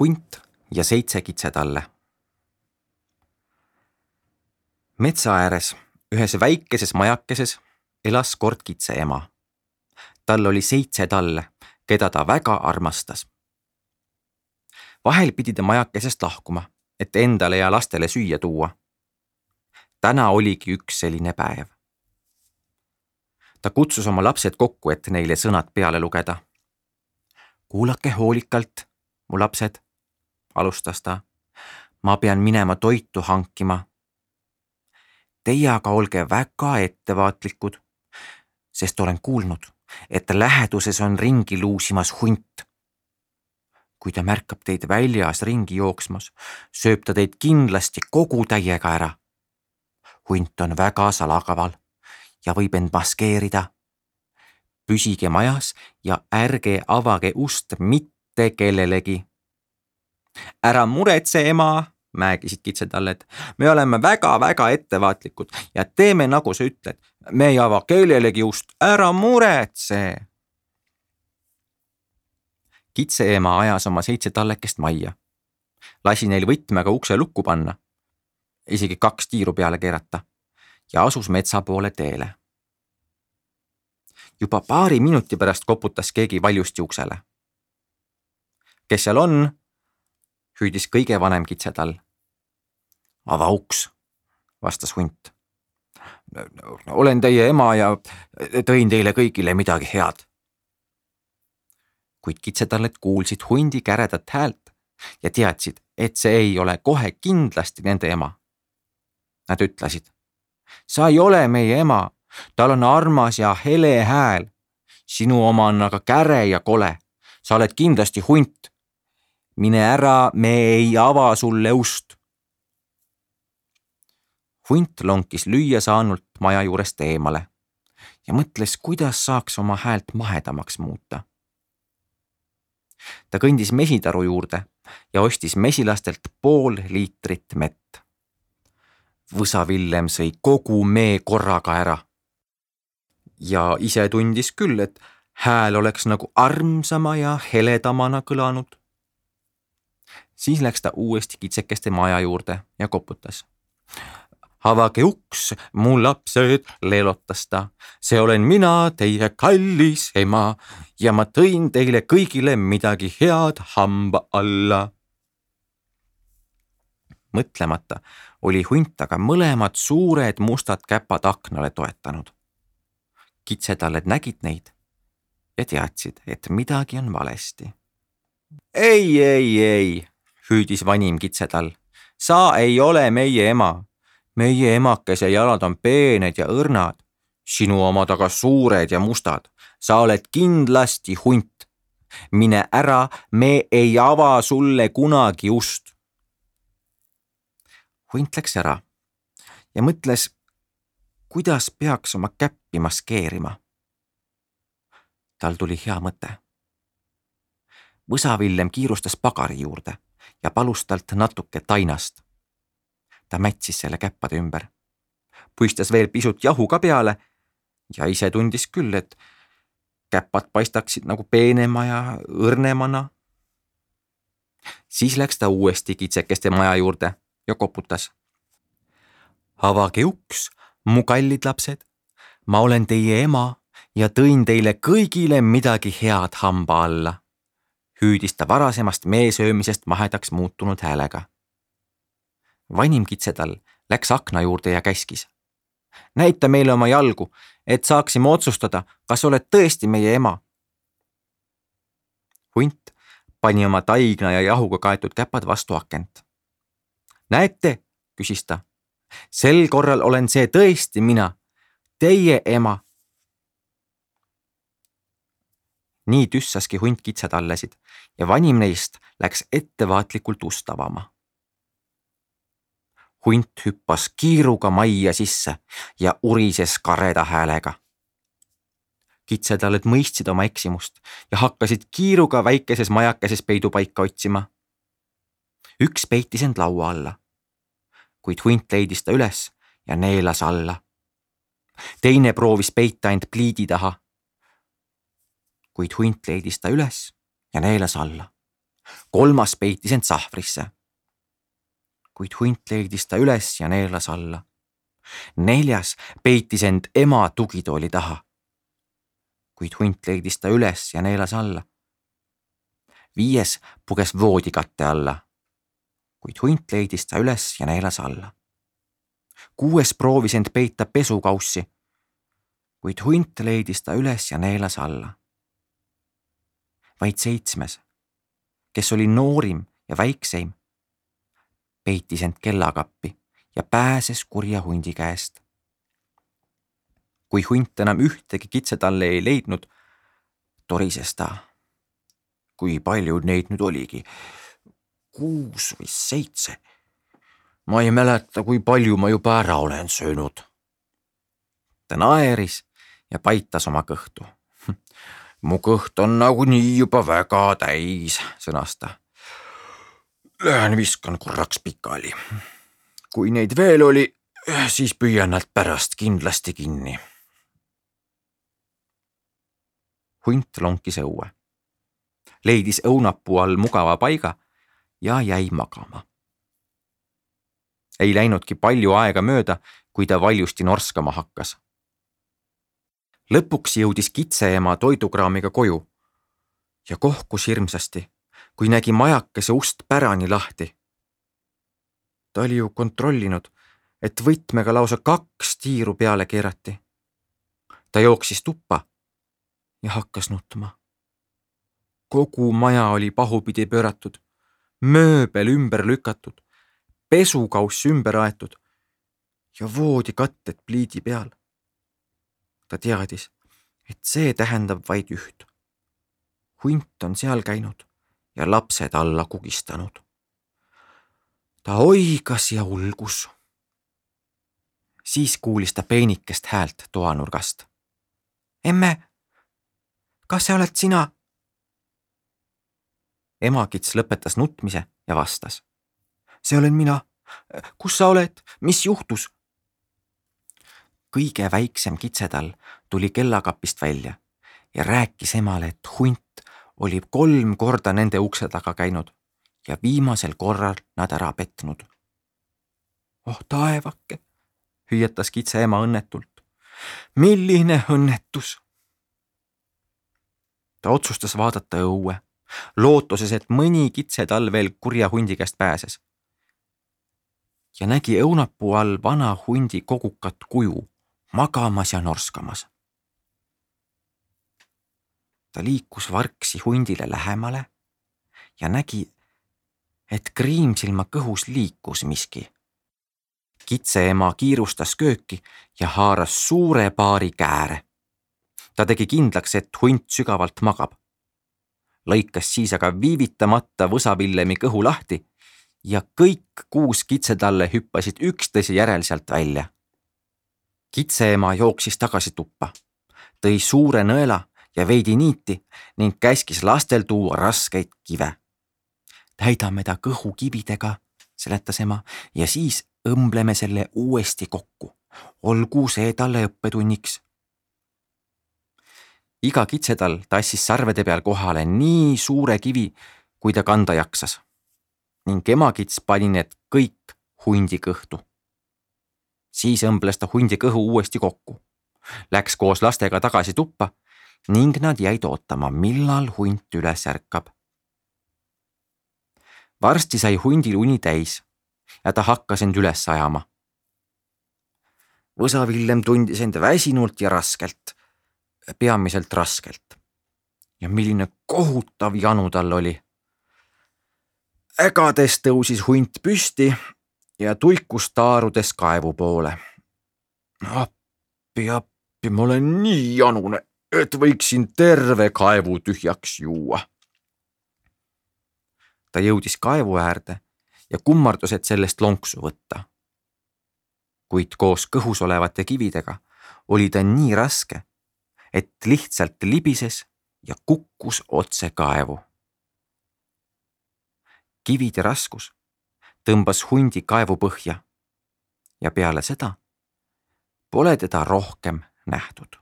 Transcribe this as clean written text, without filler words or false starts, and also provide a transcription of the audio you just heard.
Hunt ja 7 kitsetalle. Metsa ääres ühes väikeses majakeses elas kord kitse ema. Tal oli 7 talle, keda ta väga armastas. Vahel pidi ta majakesest lahkuma, et endale ja lastele süüa tuua. Täna oligi üks selline päev. Ta kutsus oma lapsed kokku, et neile sõnad peale lugeda. Kuulake hoolikalt, mu lapsed, alustas ta. Ma pean minema toitu hankima. Teie aga olge väga ettevaatlikud, sest olen kuulnud, et läheduses on ringi luusimas hunt. Kui ta märkab teid väljas ringi jooksmas, sööb ta teid kindlasti kogu täiega ära. Hunt on väga salakaval ja võib end maskeerida. Püsige majas ja ärge avage ust mitte kellelegi. Ära muretse, ema, määgisid kitsetalled. Me oleme väga-väga ettevaatlikud ja teeme nagu sa ütled. Me ei ava kellelegi ust, ära muretse. Kitseema ajas oma 7 tallekest majja. Lasi neil võtmega ukse lukku panna, isegi 2 tiiru peale keerata ja asus metsa poole teele. Juba paari minuti pärast koputas keegi valjusti uksele. Kes seal on? Hüüdis kõige vanem kitsetall. Ava uks, vastas hunt. Olen teie ema ja tõin teile kõigile midagi head. Kuid kitsetalled kuulsid hundi käredat häält ja teadsid, et see ei ole kohe kindlasti nende ema. Nad ütlesid, sa ei ole meie ema, tal on armas ja hele hääl. Sinu oma on aga käre ja kole. Sa oled kindlasti hunt. Mine ära, me ei ava sulle ust. Hunt lonkis lüüa saanult maja juurest eemale ja mõtles, kuidas saaks oma häält mahedamaks muuta. Ta kõndis mesitaru juurde ja ostis mesilastelt pool liitrit mett. Võsa Villem sõi kogu mee korraga ära. Ja ise tundis küll, et hääl oleks nagu armsama ja heledamana kõlanud. Siis läks ta uuesti kitsekeste maja juurde ja koputas. Avage uks, mu lapsed, leelotas ta. See olen mina, teie kallis ema ja ma tõin teile kõigile midagi head hamba alla. Mõtlemata oli hunt aga mõlemad suured mustad käpad aknale toetanud. Kitsetalled nägid neid ja teadsid, et midagi on valesti. Ei, hüüdis vanim kitsetall. Sa ei ole meie ema. Meie emakese jalad on peened ja õrnad. Sinu omad aga suured ja mustad. Sa oled kindlasti hunt. Mine ära, me ei ava sulle kunagi ust. Hunt läks ära ja mõtles, kuidas peaks oma käppi maskeerima. Tal tuli hea mõte. Võsa Villem kiirustas pagari juurde ja palus talt natuke tainast. Ta mätsis selle käppade ümber. Puistas veel pisut jahu ka peale ja ise tundis küll, et käppad paistaksid nagu peenema ja õrnemana. Siis läks ta uuesti kitsekeste maja juurde ja koputas. Avage uks, mu kallid lapsed. Ma olen teie ema ja tõin teile kõigile midagi head hamba alla. Hüüdis ta varasemast meesöömisest mahedaks muutunud häälega. Vanim kitsetall läks akna juurde ja käskis. Näita meile oma jalgu, et saaksime otsustada, kas oled tõesti meie ema. Hunt pani oma taigna ja jahuga kaetud käpad vastu akent. Näete, küsis ta. Sel korral olen see tõesti mina, teie ema. Nii tüssaski hunt kitsetallesid ja vanim neist läks ettevaatlikult ust avama. Hunt hüppas kiiruga majja sisse ja urises kareda häälega. Kitsetalled mõistsid oma eksimust ja hakkasid kiiruga väikeses majakeses peidupaika otsima. Üks peitis end laua alla, kuid hunt leidis ta üles ja neelas alla. Teine proovis peita end pliidi taha, kuid hunt leidis ta üles ja neelas alla. kolmas peitis end sahvrisse. Kuid hunt leidis ta üles ja neelas alla. Neljas peitis end ema tugitooli taha. Kuid hunt leidis ta üles ja neelas alla. Viies puges voodikatte alla. Kuid hunt leidis ta üles ja neelas alla. Kuues proovis end peita pesukaussi. Kuid hunt leidis ta üles ja neelas alla. Vaid seitsmes, kes oli noorim ja väikseim, peitis end kellakappi ja pääses kurja hundi käest. Kui hunt enam ühtegi kitsetalle ei leidnud, torises ta. Kui palju neid nüüd oligi? 6 või 7. Ma ei mäleta, kui palju ma juba ära olen söönud. Ta naeris ja paitas oma kõhtu. Mu kõht on nagunii juba väga täis, sõnas ta. Lähen viskan korraks pikali. Kui neid veel oli, siis püüan nad pärast kindlasti kinni. Hunt lonkis õue. Leidis õunapuu all mugava paiga ja jäi magama. Ei läinudki palju aega mööda, kui ta valjusti norskama hakkas. Lõpuks jõudis kitseema toidukraamiga koju ja kohkus hirmsasti, kui nägi majakese ust pärani lahti. Ta oli ju kontrollinud, et võtmega lausa 2 tiiru peale keerati. Ta jooksis tuppa ja hakkas nutma. Kogu maja oli pahupidi pööratud, mööbel ümber lükatud, pesukauss ümber aetud ja voodikatted pliidi peal. Ta teadis, et see tähendab vaid üht. Hunt on seal käinud ja lapsed alla kugistanud. Ta oigas ja ulgus. Siis kuulis ta peenikest häält toanurgast. Emme, kas sa oled sina? Emakits lõpetas nutmise ja vastas. See olen mina. Kus sa oled? Mis juhtus? Kõige väiksem kitsetall tuli kellakapist välja ja rääkis emale, et hunt oli 3 korda nende ukse taga käinud ja viimasel korral nad ära petnud. Oh taevake, hüüatas kitse ema õnnetult. Milline õnnetus! Ta otsustas vaadata õue, lootuses, et mõni kitsetall veel kurja hundi käest pääses. Ja nägi õunapuu all vana hundi kogukat kuju, magamas ja norskamas. Ta liikus vargsi hundile lähemale ja nägi, et Kriimsilma kõhus liikus miski. Kitseema kiirustas kööki ja haaras suure paari kääre. Ta tegi kindlaks, et hunt sügavalt magab. Lõikas siis aga viivitamata võsavillemi kõhu lahti ja kõik 6 kitsetalle hüppasid üksteise järel sealt välja. Kitseema jooksis tagasi tuppa, tõi suure nõela ja veidi niiti ning käskis lastel tuua raskeid kive. Täidame ta kõhu kividega, seletas ema, ja siis õmbleme selle uuesti kokku. Olgu see talle õppetunniks. Iga kitsetall tassis sarvede peal kohale nii suure kivi, kui ta kanda jaksas. Ning emakits pani need kõik hundi kõhtu. Siis õmbles ta hundi kõhu uuesti kokku. Läks koos lastega tagasi tuppa ning nad jäid ootama, millal hunt üles ärkab. Varsti sai hundil uni täis ja ta hakkas end üles ajama. Võsavillem tundis end väsinult ja raskelt, peamiselt raskelt. Ja milline kohutav janu tal oli. Ägades tõusis hunt püsti ja tuikus taarudes kaevu poole. Appi, ma olen nii janune, et võiksin terve kaevu tühjaks juua. Ta jõudis kaevu äärde ja kummardus, et sellest lonksu võtta. Kuid koos kõhus olevate kividega oli ta nii raske, et lihtsalt libises ja kukkus otse kaevu. Kivide raskus tõmbas hundi kaevu põhja ja peale seda pole teda rohkem nähtud.